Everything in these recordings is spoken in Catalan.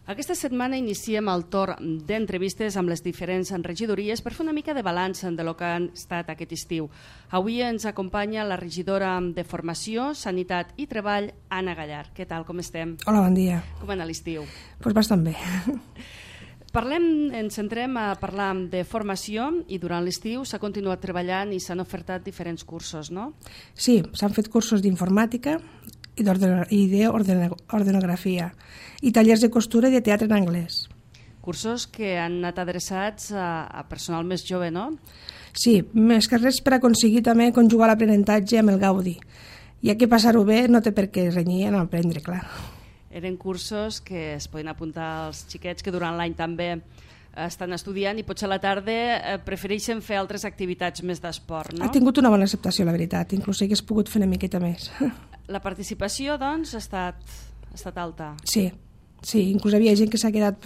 Aquesta setmana iniciem el torn d'entrevistes amb les diferents regidories per fer una mica de balanç de lo que ha estat aquest estiu. Avui ens acompanya la regidora de Formació, Sanitat i Treball, Anna Gallar. Què tal, com estem? Hola, bon dia. Com ha anat l'estiu? Pues bastant bé. Ens centrem a parlar de formació i durant l'estiu s'ha continuat treballant i s'han ofertat diferents cursos, no? Sí, s'han fet cursos d'informàtica i d'ordenografia i tallers de costura i de teatre en anglès. Cursos que han anat adreçats a personal més jove, no? Sí, més que res per aconseguir també conjugar l'aprenentatge amb el gaudi. Ja que passar-ho bé no té per què renyir en aprendre, clar. Eren cursos que es poden apuntar als xiquets que durant l'any també estan estudiant i potser a la tarda prefereixen fer altres activitats més d'esport, no? Ha tingut una bona acceptació, la veritat. Inclús hagués pogut fer una miqueta més. La participació, doncs, ha estat alta. Sí, inclús havia gent que s'ha quedat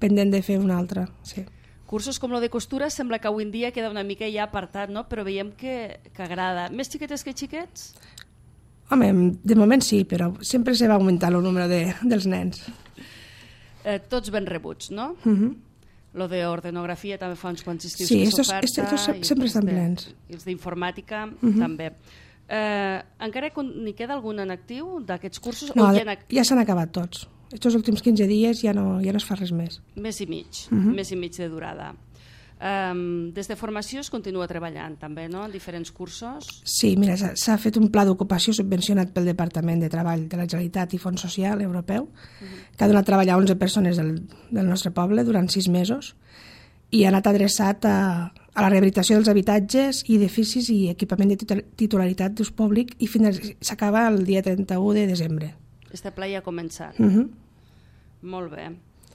pendent de fer una altra, sí. Cursos com lo de costura sembla que avui en dia queda una mica ja apartat, no? Però veiem que agrada. Més xiquetes que xiquets? Home, de moment sí, però sempre se va augmentar el número dels nens. Tots ben rebuts, no? Lo d'ordenografia també fa uns quants estius que s'oferta. Sí, estos sempre estan plens. I els d'informàtica també. Encara n'hi queda algun en actiu d'aquests cursos? No, ja s'han acabat tots. Estos últims 15 dies ja no es fa res més. Més i mig de durada. Des de formació es continua treballant també, no?, en diferents cursos? Sí, mira, s'ha fet un pla d'ocupació subvencionat pel Departament de Treball de la Generalitat i Fons Social Europeu, que ha donat treball a 11 persones del nostre poble durant 6 mesos i ha anat adreçat a la rehabilitació dels habitatges i edificis i equipament de titularitat d'ús públic i s'acaba el dia 31 de desembre. Este pla ja ha començat. Molt bé.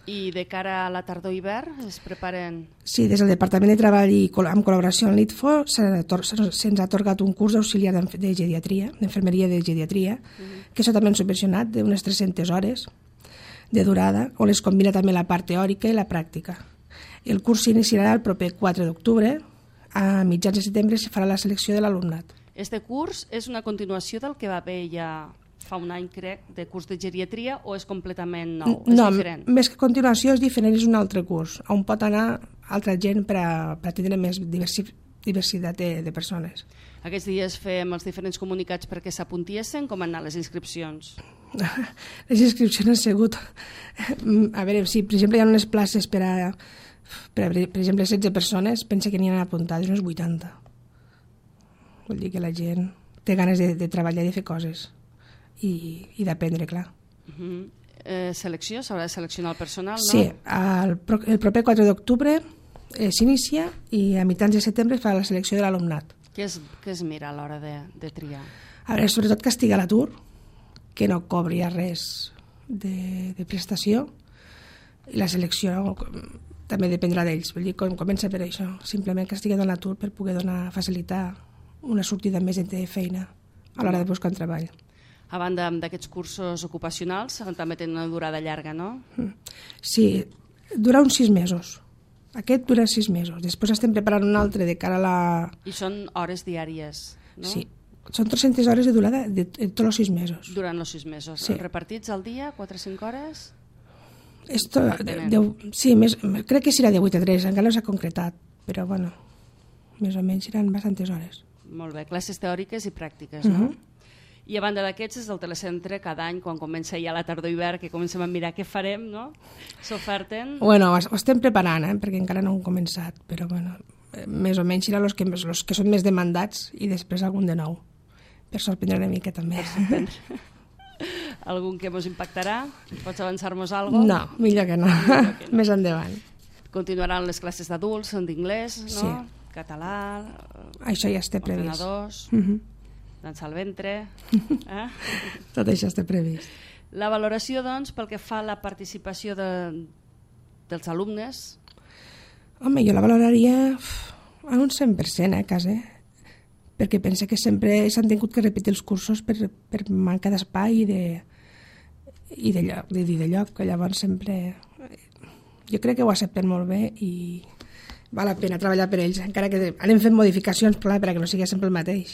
I de cara a la tardor-hivern es preparen? Sí, des del Departament de Treball i amb col·laboració amb l'ITFO se'ns ha atorgat un curs d'auxiliar de geriatria, d'infermeria de geriatria, que això també han subvencionat d'unes 300 hores de durada, on es combina també la part teòrica i la pràctica. El curs s'iniciarà el proper 4 d'octubre. A mitjans de setembre se farà la selecció de l'alumnat. Este curs és una continuació del que va haver ja fa un any, crec, de curs de geriatria, o és completament nou? No, més que continuació és diferent, és un altre curs, on pot anar altra gent per a tindre més diversitat de persones. Aquests dies fem els diferents comunicats perquè s'apuntiessin. Com han anat les inscripcions? Les inscripcions han sigut... A veure, si per exemple hi ha unes places per exemple 16 persones, pensa que n'hi han apuntades unes 80. Vol dir que la gent té ganes de treballar i de fer coses i d'aprendre, clar. Selecció? S'haurà de seleccionar el personal, no? Sí, el proper 4 d'octubre s'inicia i a mitjans de setembre es fa la selecció de l'alumnat. Què es mira a l'hora de triar? A veure, sobretot que estigui a l'atur, que no cobri res de prestació, i la selecció també dependrà d'ells. Vull dir, comença per això, simplement que estigui a l'atur per poder facilitar una sortida més de feina a l'hora de buscar un treball. A banda d'aquests cursos ocupacionals, també tenen una durada llarga, no? Sí, dura uns 6 mesos. Aquest dura 6 mesos. Després estem preparant un altre de cara a la... I són hores diàries, no? Sí, són 300 hores de durada de tots els 6 mesos. Durant els 6 mesos. Sí. Repartits al dia, 4 o 5 hores? Sí, crec que serà de 8 a 3, encara no s'ha concretat, però bueno, més o menys seran bastantes hores. Molt bé, classes teòriques i pràctiques, no? I a banda d'aquests, és del telecentre, cada any, quan comença ja la tardor-hivern, que comencem a mirar què farem, no? S'oferten... Bueno, ho estem preparant, perquè encara no ho hem començat, però bueno, més o menys seran els que són més demandats i després algun de nou, per sorprendre una mica també. Algun que ens impactarà? Pots avançar-nos alguna cosa? No, millor que no. Més endavant. Continuaran les classes d'adults, d'inglès, no? Sí. Català... Això ja està previst. Ordenadors... Dansa al ventre... Tot això està previst. La valoració, doncs, pel que fa a la participació dels alumnes? Home, jo la valoraria a un 100%, quasi. Perquè penso que sempre s'han tingut que repetir els cursos per manca d'espai i de lloc, que llavors sempre... Jo crec que ho accepten molt bé i val la pena treballar per ells, encara que anem fent modificacions, clar, perquè no sigui sempre el mateix.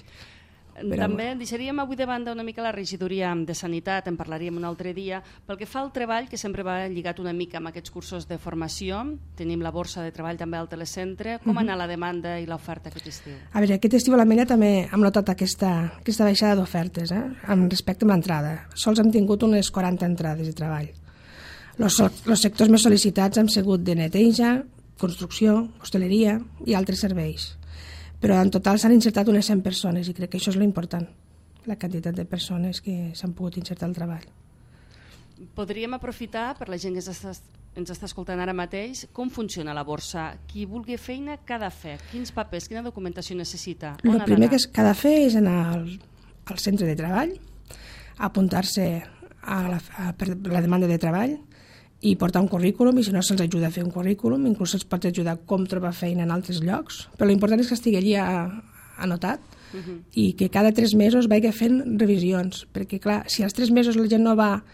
També deixaríem avui de banda una mica la regidoria de Sanitat, en parlaríem un altre dia. Pel que fa al treball, que sempre va lligat una mica amb aquests cursos de formació, tenim la borsa de treball també al telecentre. Com ha anat la demanda i l'oferta aquest estiu? A veure, aquest estiu a l'Ametlla també hem notat aquesta baixada d'ofertes, amb respecte a l'entrada. Sols hem tingut unes 40 entrades de treball. Els sectors més sol·licitats han sigut de neteja, construcció, hostaleria i altres serveis. Però en total s'han insertat unes 100 persones i crec que això és l'important, la quantitat de persones que s'han pogut insertar al treball. Podríem aprofitar, per la gent que ens està escoltant ara mateix, com funciona la borsa. Qui vulgui feina, què ha de fer? Quins papers, quina documentació necessita? El primer que ha de fer és anar al centre de treball, apuntar-se a la demanda de treball i portar un currículum, i si no se'ls ajuda a fer un currículum, inclús se'ls pot ajudar com trobar feina en altres llocs, però l'important és que estigui allí anotat i que cada 3 mesos vagi fent revisions, perquè clar, si als 3 mesos la gent no va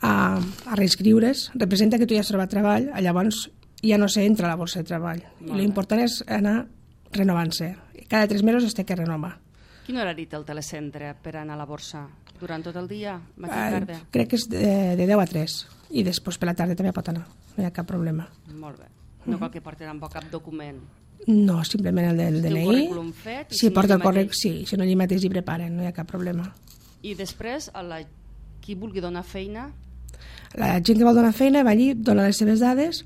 a reinscriure's, representa que tu ja has trobat treball, llavors ja no s'entra a la borsa de treball. I l'important és anar renovant-se. Cada 3 mesos es té que renovar. Quin horari té el telecentre per anar a la borsa? Durant tot el dia? Matí i tarda? Crec que és de 10 a 3 i després per la tarda també pot anar, no hi ha cap problema. Molt bé. No cal que porti tampoc cap document? No, simplement el del DNI. Un currículum fet? Si porta el correct, sí, si no allí mateix hi preparen, no hi ha cap problema. I després, qui vulgui donar feina? La gent que vol donar feina va allí, dona les seves dades,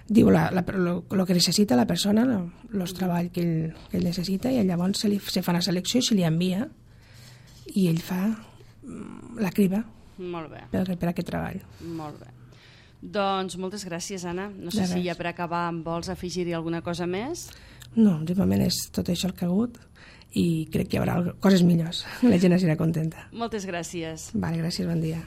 diu el que necessita la persona, el treball que ell necessita, i llavors se fa una selecció i se li envia i ell fa la criba per aquest treball. Molt bé. Doncs moltes gràcies, Anna. No sé si ja per acabar vols afegir-hi alguna cosa més? No, de moment és tot això el que ha hagut i crec que hi haurà coses millors. La gent serà contenta. Moltes gràcies. Vale, gràcies, bon dia.